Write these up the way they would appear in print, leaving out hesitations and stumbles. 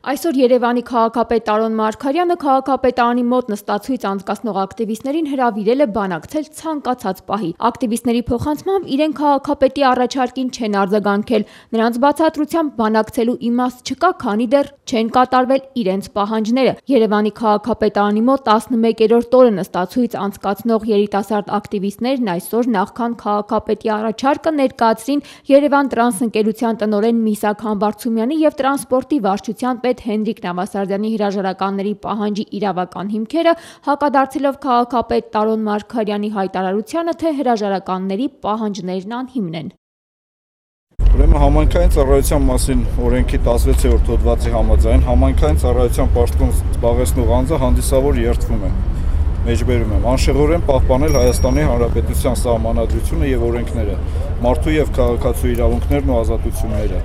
Այսօր Երևանի քաղաքապետ Տարոն Մարգարյանը քաղաքապետարանի մոտ նստացույց անցկացնող ակտիվիստներին հրավիրել է բանակցել ցանկացած պահի։ Ակտիվիստների փոխանցմամբ իրենք քաղաքապետի առաջարկին չեն արձագանքել։ Նրանց բացատրությամբ բանակցելու իմաստ չկա, քանի դեռ չեն կատարվել իրենց պահանջները։ Երևանի քաղաքապետարանի մոտ 11-րդ օրը նստացույց անցկացնող երիտասարդ ակտիվիստներն այսօր նախքան քաղաքապետի առաջարկը ներկայացրին Երևան տրանս ընկերության տնօրեն Միսակ Համբարձումյանի և տրանսպորտի վարչության պետ Հենրիկ Նավասարդյանի հրաժարականների պահանջի իրավական հիմքերը, հակադարձելով քաղաքապետ Տարոն Մարգարյանի հայտարարությանը, թե հրաժարականների պահանջներն անհիմն են։ Ուրեմն համայնքային ծառայության մասին օրենքի 16-րդ հոդվածի համաձայն համայնքային ծառայության պաշտոն զբաղեցնող անձը հանդիսավոր երդվում է։ Մեջբերում եմ անշեղորեն պահպանել Հայաստանի Հանրապետության սահմանադրությունը եւ օրենքները, մարդու եւ քաղաքացու իրավունքներն ու ազատությունները։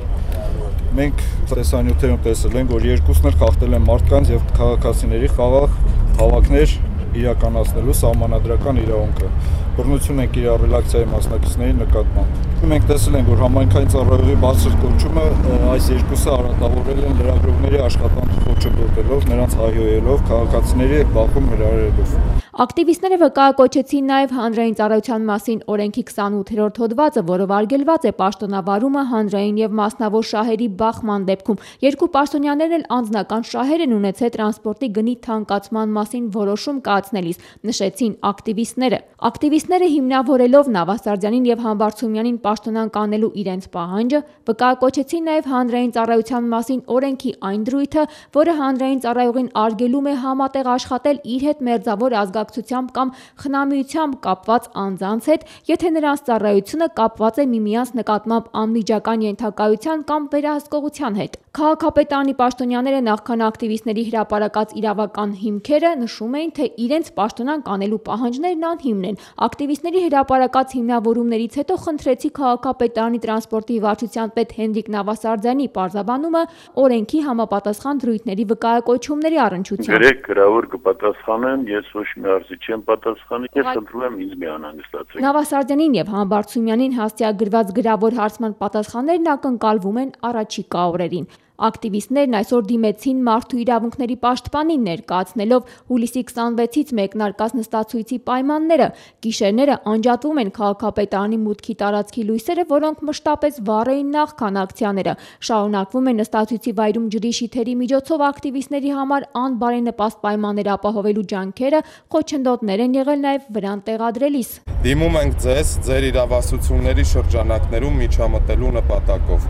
Մենք տեսանյութերում տեսել ենք, որ երկուսն էլ խախտել են մարդկանց եւ քաղաքացիների խաղաղ հավաքներ իրականացնելու սահմանադրական իրավունքը։ Բռնություն են կիրառել ակցիայի մասնակիցների նկատմամբ։ Մենք տեսել ենք, որ համայնքային ծառայողի բարձր կոչումը այս երկուսը արատավորել են լրագրողների աշխատանքը խոչընդոտելով, նրանց հայհոյելով, քաղաքացիների հետ բախում հրահրելով։ Ակտիվիստները վկայակոչեցին նաև հանրային ծառայության մասին օրենքի 28-րդ հոդվածը, որով արգելված է պաշտոնավարումը հանրային եւ մասնավոր շահերի բախման դեպքում։ Երկու պաշտոնյաներն էլ անձնական շահեր են ունեցել տրանսպորտի գնի թանկացման մասին որոշում կայացնելիս, նշեցին ակտիվիստները։ Ակտիվիստները հիմնավորելով Նավասարդյանին եւ Համբարձումյանին պաշտոնանկ անելու իրենց պահանջը, վկայակոչեցին նաև հանրային ծառայության մասին օրենքի այն դրույթը, որը հանրային ծառայողին արգելում է համատեղ աշխատել իր հետ մերձավոր ազգակցությամբ կամ խնամիությամբ կապված անձանց հետ, եթե նրանց ծառայությունը կապված է միմյանց նկատմամբ անմիջական ենթակայության կամ վերահսկողության հետ։ Քաղաքապետարանի պաշտոնյաները նախքան ակտիվիստների հրապարակած իրավական հիմքերը նշում էին, թե իրենց պաշտոնանկ անելու պահանջներն անհիմն են։ Ակտիվիստների հրապարակած հիմնավորումներից հետո խնդրեցի քաղաքապետարանի տրանսպորտի վարչության պետ Հենրիկ Նավասարդյանի պարզաբանումը օրենքի համապատասխան դրույթների վկայակոչումների առնչությամբ։ Գրեք գրավոր կպատասխանեմ, ես ոչ մի արժի չեմ պատասխանի, ես խնդրում եմ ինձ մի անհանգստացեք։ Նավասարդյանին եւ Համբարձումյանին հաստիագրված գրավոր հարցման պատասխաններն ակնկալվում են առաջիկա օրերին։ Ակտիվիստներն այսօր դիմեցին մարդու իրավունքների պաշտպանին ներկայացնելով հուլիսի 26-ից մեկնարկած նստացույցի պայմանները։ Գիշերները անջատվում են քաղաքապետարանի մուտքի տարածքի լույսերը, որոնք մշտապես վառ էին նախքան ակցիաները։ Շարունակվում է նստացույցի վայրում ջրի շիթերի միջոցով ակտիվիստների համար անբարենպաստ պայմաններ ապահովելու ջանքերը, խոչընդոտներ են եղել նաև վրան տեղադրելիս։ Դիմում ենք ձեզ ձեր իրավասությունների շրջանակներում միջամտելու նպատակով,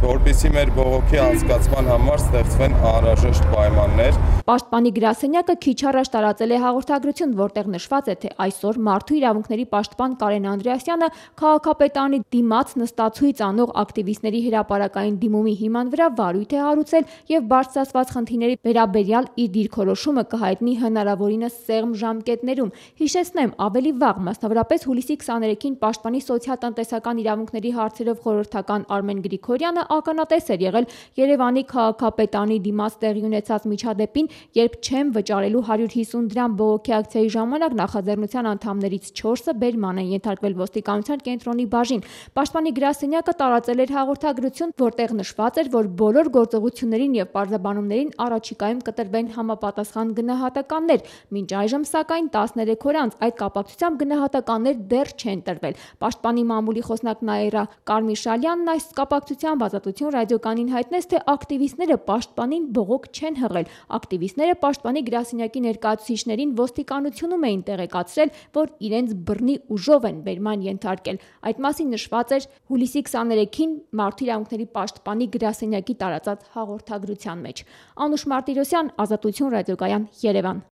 որպեսզի մեր բողոքի անցկացման համար ստեղծվեն անհրաժեշտ պայմաններ։ Պաշտպանի գրասենյակը քիչ առաջ տարածել է հաղորդագրություն, որտեղ նշված է, թե այսօր մարդու իրավունքների պաշտպան Կարեն Անդրեասյանը քաղաքապետարանի դիմաց նստացույց անող ակտիվիստների հրապարակային դիմումի հիման վրա վարույթ է հարուցել եւ բարձրացված խնդիրների վերաբերյալ իր դիրքորոշումը կհայտնի հնարավորինս սեղմ ժամկետներում։ Հիշեցնեմ, ավելի վաղ, մասնավորապես հուլիսի 23-ին պաշտպանի սոցիալ-տնտեսական իրավունքների հարցերով խորհրդական Արմեն Գրիգորյանը ականատես էր եղել Երևանի քաղաքապետարանի դիմաց տեղի ունեցած միջադեպին, երբ չեմ վճարելու 150 դրամ բողոքի ակցիայի ժամանակ նախաձեռնության անդամներից 4-ը բերման են ենթարկվել ոստիկանության կենտրոնի բաժին։ Պաշտպանի գրասենյակը տարածել էր հաղորդագրություն, որտեղ նշված էր, որ բոլոր գործողություններին եւ պարզաբանումներին առաջիկայում կտրվեն համապատասխան գնահատականներ։ Մինչ այժմ, սակայն, 13 օր անց այդ կապակցությամբ գնահատականներ դեռ չեն տրվել։ Պաշտպանի մամուլի խոսնակ Նաիրա Կարմիշալյանն այս կապակցությամբ Ազատություն ռադիոկայանին հայտնեց, թե ակտիվիստները պաշտպանին բողոք չեն հղել։ Ակտիվիստները պաշտպանի գրասենյակի ներկայացուցիչներին ոստիկանությունում էին տեղեկացրել, որ իրենց բռնի ուժով են բերման ենթարկել։ Այդ մասին նշված էր հուլիսի 23-ին մարդու իրավունքների պաշտպանի գրասենյակի տարածած հաղորդագրության մեջ։ Անուշ Մարտիրոսյան, Ազատություն ռադիոկայան, Երևան։